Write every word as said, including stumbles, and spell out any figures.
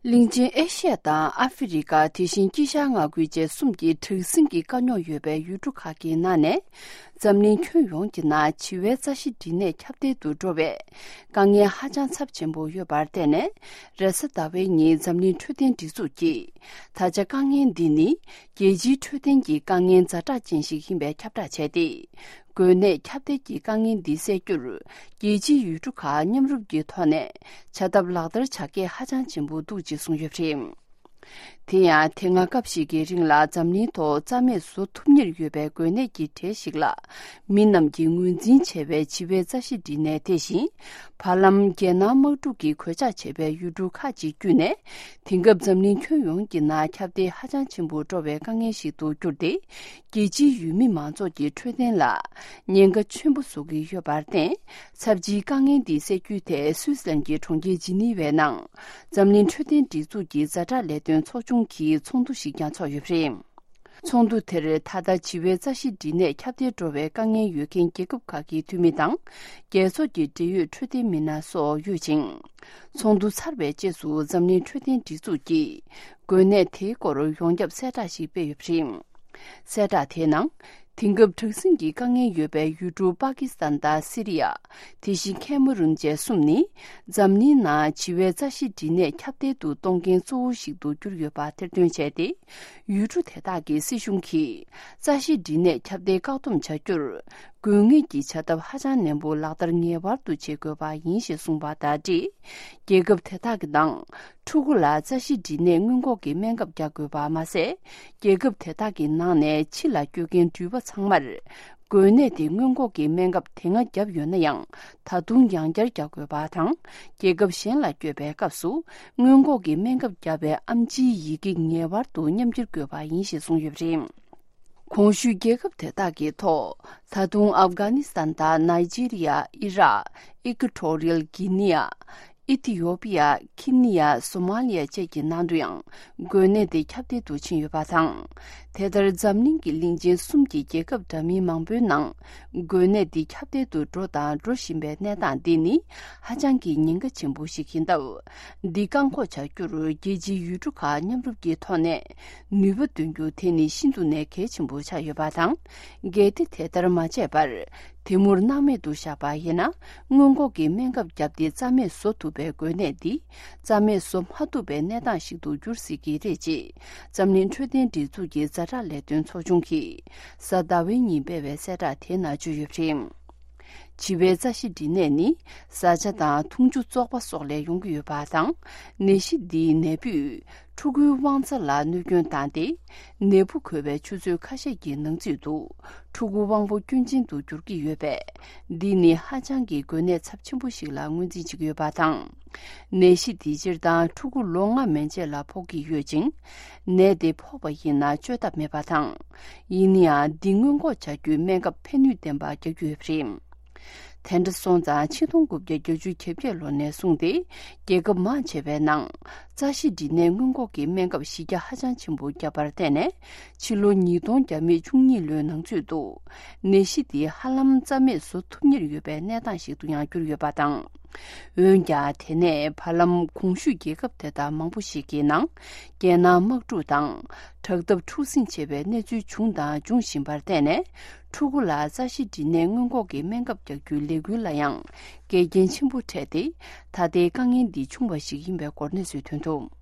གླིང་ཆེན་ཨེ་ཤི་ཡ་དང་ཨ་ཧྥེ་རི་ཁ། དེ་བཞིན་དཀྱིལ་ཤར་མངའ་ཁུལ་བཅས་གསུམ་གྱི་དྲག་ཟིང་གི་དཀའ་རྙོག་ཡོད་པའི་ཡུལ་གྲུ་ཁག་གི་ནང་ནས། འཛམ་གླིང་ཁྱོན་ཡོངས་ཀྱི་ནང་བྱིས་པའི་རྩ་ཤེད་སྦྲིད་ནད་ཁྱབ་གདལ་དུ་འགྲོ་བའི་དཀའ་ངལ་ཧ་ཅང་ཚབས་ཆེན་པོ་ཡོད་པར་བརྟེན་ནས། རེས་གཟའ་ཟླ་བའི་ཉིན་འཛམ་གླིང་འཕྲོད་བསྟེན་སྒྲིག་འཛུགས་ཀྱིས། ད་ཆ་དཀའ་ངལ་འདི་ནི་རྒྱལ་སྤྱིའི་འཕྲོད་བསྟེན་གྱི་དཀའ་ངལ་ཛ་དྲག་ཅན་ཞིག་ཡིན་པའི་ཁྱབ་བསྒྲགས་བྱས་ཏེ། འགོས་ནད་ཁྱབ་གདལ་གྱི་དཀའ་ངལ་འདི་སེལ་རྒྱུར། རྒྱལ་སྤྱིའི་ཡུལ་གྲུ་ཁག་མཉམ་རུབ་ཀྱི་ཐོག་ནས་བྱ་ཐབས་ལག་བསྟར་བྱ་གལ་ཧ་ཅང་ཆེན་པོ་འདུག་ཅེས་གསུངས་ཡོད་པ་རེད། དེ་ཡང་དེ་སྔ་སྐབས་ཤིག་གི་རིང་ལ་འཛམ་གླིང་ཐོག་རྩ་མེད་བཟོ་ཐུབ་ཉེར་ཡོད་པའི་འགོས་ནད་ཀྱི་གྲས་ཤིག་ལ། མི་རྣམས་ཀྱིས་ངོས་འཛིན་བྱས་པའི་བྱིས་པའི་རྩ་ཤེད་སྦྲིད་ནད་དེ་བཞིན། བར་ལམ་རྒྱལ་ནང་དམག་འཁྲུག་གིས་གོད་ཆག་བྱས་པའི་ཡུལ་གྲུ་ཁག་ཅིག་བརྒྱུད་ནས། དེང་སྐབས་འཛམ་གླིང་ཁྱོན་ཡོངས་ཀྱི་ནང་ཁྱབ་གདལ་ཧ་ཅང་ཆེན་པོ་འགྲོ་བའི་དཀའ་ངལ་ཞིག་ཏུ་གྱུར་ཏེ། རྒྱལ་སྤྱིའི་ཡུལ་མི་མང་ཚོགས་ཀྱི་འཕྲོད་བསྟེན་ལ་ཉེན་ཁ་ཆེན་པོ་བཟོ་གི་ཡོད་པར་བརྟེན། ཚབས་ཆེའི་དཀའ་ངལ་འདི་སེལ་རྒྱུའི་ཐད་སུད་སི་ལན་གྱི་གྲོང་ཁྱེར་ཇི་ནི་ཝའི་ནང་འཛམ་གླིང་འཕྲོད་བསྟེན་སྒྲིག་འཛུགས་ཀྱི་ཛ་དྲག་ལས་དོན་ཚོགས་ཆུང་གིས་ཚོགས་འདུ་ཞིག་ཀྱང་འཚོགས་ཡོད་པ་རེད། ཚོགས་འདུ་དེར་ད་ལྟ་བྱིས་པའི་རྩ་ཤེད་སྦྲིད་ནད་ཁྱབ་གདལ་འགྲོ་བའི་དཀའ་ངལ་ཡོད་མཁན་རྒྱལ་ཁབ་ཁག་གི་འཐུས་མི་དང་། རྒྱལ་ཚོགས་ཀྱི་འབྲེལ་ཡོད་འཕྲོད་བསྟེན་མི་སྣ་སོགས་ཡོད་ཅིང་། ཚོགས་འདུ་ཚར་བའི་རྗེས་སུ་འཛམ་གླིང་འཕྲོད་བསྟེན་སྒྲིག་འཛུགས་ཀྱིས་འགོས་ནད་དེའི་སྐོར་ཡོངས་ཁྱབ་གསལ་བསྒྲགས་ཤིག་སྤེལ་ཡོད་པ་རེད། གསལ་བསྒྲགས་དེའི་ནང་། དེང་སྐབས་དྲག་ཟིང་གི་དཀའ་ངལ་ཡོད་པའི་ཡུལ་གྲུ་པ་ཀི་སི་ཐན་དང་སི་རི་ཡ། དེ་བཞིན་ཁེ་མ་རུན་བཅས་གསུམ་ནི། འཛམ་གླིང་ནང་བྱིས་པའི་རྩ་ཤེད་སྦྲིད་ནད་ཁྱབ་གདལ་དུ་གཏོང་མཁན་གཙོ་བོ་ཞིག་ཏུ་གྱུར་ཡོད་པ་ཐེར་འདོན་བྱས་ཏེ། ཡུལ་གྲུ་དེ་དག་གི་སྲིད་གཞུང་གིས། རྩ་ཤེད་སྦྲིད་ནད་ཁྱབ་གདལ་བཀག་སྡོམ་བྱ་རྒྱུར། དགོས་ངེས་ཀྱི་བྱ་ཐབས་ཧ་ཅང་ནན་པོ་ལག་བསྟར་ངེས་པར་དུ་བྱེད་དགོས་པ་ཡིན་ཞེས་གསུངས་པ་དང་འབྲེལ། རྒྱལ་ཁབ་དེ་དག་གི་ནང་། ཕྲུ་གུ་ལ་རྩ་ཤེད་སྦྲིད་ནད་སྔོན་འགོག་གི་སྨན་ཁབ་རྒྱག་དགོས་པ་མ་ཟད། རྒྱལ་ཁབ་དེ་དག་གི་ནང་ནས་ཕྱི་ལ་སྐྱོད་མཁན་འགྲུལ་པ་ཚང་མར། འགོས་ནད་དེ་སྔོན་འགོག་གི་སྨན་ཁབ་དེ་སྔ་བརྒྱབ་ཡོད་ན་ཡང་། ད་དུང་ཡང་བསྐྱར་རྒྱག་དགོས་པ་དང་། རྒྱལ་ཁབ་གཞན་ལ་སྐྱོད་པའི་སྐབས་སུ། སྔོན་འགོག་གི་སྨན་ཁབ་བརྒྱབ་པའི་ཨེམ་ཆིའི་ཡི་གེ་ངེས་པར་དུ་མཉམ་འཁྱེར་དགོས་པ་ཡིན་ཞེས་གསུངས་ཡོད་པ་རེད། གོང་ཞུས་རྒྱལ་ཁབ་དེ་དག་གི་ཐོག་ད་དུང་ཨབ་གྷ་ནི་སི་ཐན་དང་ནཱི་ཇི་རི་ཡ། ཨི་རག་ཨི་ཀུ་ཊོ་རི་ཡལ་གྷི་ནི་ཡ། ཨི་ཐི་ཡོ་པི་ཡ། ཁི་ནི་ཡ། སོ་མ་ལི་ཡ་བཅས་ཀྱི་ནང་དུ་ཡང་འགོས་ནད་དེ་ཁྱབ་གདལ་དུ་ཕྱིན་ཡོད་པ་དང་། དེ་ལྟར་འཛམ་གླིང་གི་གླིང་ཆེན་གསུམ་གྱི་རྒྱལ་ཁབ་འདྲ་མིན་མང་པོའི་ནང་འགོས་ནད་འདི་ཁྱབ་གདལ་དུ་འགྲོ་དང་འགྲོ་བཞིན་པའི་གནས་སྟངས་འདི་ནི་ཧ་ཅང་གི་ཉེན་ཁ་ཆེན་པོ་ཞིག་ཡིན་སྟབས། འདི་བཀག་འགོག་བྱ་རྒྱུར་རྒྱལ་སྤྱིའི་ཡུལ་གྲུ་ཁག་མཉམ་རུབ་ཀྱི་ཐོག་ནས་ནུས་པ་འདོན་རྒྱུ་དེ་ནི་ཤིན་ཏུ་ནས་གལ་ཆེན་པོ་ཆགས་ཡོད་པ་དང་། གལ་ཏེ་དེ་ལྟར་མ་བྱས་པར། དེ་མུར་སྣང་མེད་དུ་བཞག་པ་ཡིན་ན། སྔོན་འགོག་གི་སྨན་ཁབ་བརྒྱབ་སྟེ་རྩ་མེད་བཟོ་ཐུབ་པའི་འགོས་ནད་འདི། རྩ་མེད་བཟོ་མ་ཐུབ་པའི་གནས་སྟངས་ཤིག་ཏུ་འགྱུར་སྲིད་ཀྱི་རེད། ཅེས་འཛམ་གླིང་འཕྲོད་བསྟེན་སྒྲིག་འཛུགས་ཀྱི་ཛ་དྲག་ལས་དོན་ཚོགས་ཆུང་གིས་གཟའ་ཟླ་བའི་ཉིན་སྤེལ་བའི་གསལ་བསྒྲགས་དེའི་ནང་བརྗོད་ཡོད་པ་རེད། བྱིས་པའི་རྩ་ཤེད་སྦྲིད་ནད་ནི། བཟའ་བཅའ་དང་འཐུང་ཆུ་བཙོག་པ་སོགས་ལས་ཡོང་གི་ཡོད་པ་དང་། ནད་གཞི་འདིའི་ནད་འབུས། ཕྲུ་གུའི་དབང་རྩ་ལ་གནོད་སྐྱོན་བཏང་སྟེ། ནད་འབུ་འགོས་པའི་ཆུ་ཚོད་ཁ་ཤས་ཀྱི་ནང་ཚུད་དུ། ཕྲུ་གུ་དབང་པོ་སྐྱོན་ཅན་དུ་འགྱུར་གྱི་ཡོད་པས། འདི་ནི་ཧ་ཅང་གི་འགོས་ནད་ཚབས་ཆེན་པོ་ཞིག་ལ་ངོས་འཛིན་བྱེད་ཀྱི་ཡོད་པ་དང་། ནད་གཞི་འདི་སྤྱིར་བཏང་ཕྲུ་གུ་ལོ་ལྔ་མན་ཆད་ལ་ཕོག་གི་ཡོད་ཅིང་། ནད་དེ་ཕོག་པ་ཡིན་ན་བཅོས་ཐབས་མེད་པ་དང་། ཡིན་ནའང་འདི་སྔོན་འགོག་བྱ་རྒྱུའི་སྨན་ཁབ་ཕན་ནུས་ལྡན་པ་རྒྱག་རྒྱུ་ཡོད་པ་རེད། དེ་འདྲ་སོང་ཙང་ཆིག་སྟོང་དགུ་བརྒྱ་བརྒྱད་ཅུ་གྱ་བརྒྱད་ལོ་ནས་བཟུང་སྟེ། རྒྱལ་ཁབ་མང་ཆེ་བའི་ནང་། རྩ་ཤེད་སྦྲིད་ནད་སྔོན་འགོག་གི་སྨན་ཁབ་གཞི་རྒྱ་ཧ་ཅང་ཆེན་པོ་བརྒྱབ་པར་བརྟེན་ནས། ཕྱི་ལོ་ཉིས་སྟོང་བརྒྱ་མེད་བཅུ་གཉིས་ལོའི་ནང་ཚུད་དུ། ནད་གཞི་འདི་ཧ་ལམ་རྩ་མེད་བཟོ་ཐུབ་ཉེར་ཡོད་པའི་གནས་སྟངས་ཤིག་ཏུ་ཡང་གྱུར་ཡོད་པ་དང་། འོན་ཀྱང་དེ་ནས་བར་ལམ་གོང་ཞུས་རྒྱལ་ཁབ་དེ་དག་མང་པོ་ཞིག་གི་ནང་། རྒྱལ་ནང་དམག་འཁྲུག་དང་། དྲག་འཐབ་འཁྲུག་ཟིང་ཆེ་བའི་གནས་ཚུལ་བྱུང་དང་འབྱུང་བཞིན་པར་བརྟེན་ནས། ཕྲུ་གུ་ལ་རྩ་ཤེད་སྦྲིད་ནད་སྔོན་འགོག་གི་སྨན་ཁབ་རྒྱག་རྒྱུའི་ལས་འགུལ་ལ་ཡང་འགལ་རྐྱེན་ཆེན་པོ་འཕྲད་དེ། ད་ལྟའི་དཀའ་ངལ་འདི་བྱུང་བ་ཞིག་ཡིན་པའི་སྐོར་གནས་ཚུལ་ཐོན་འདུག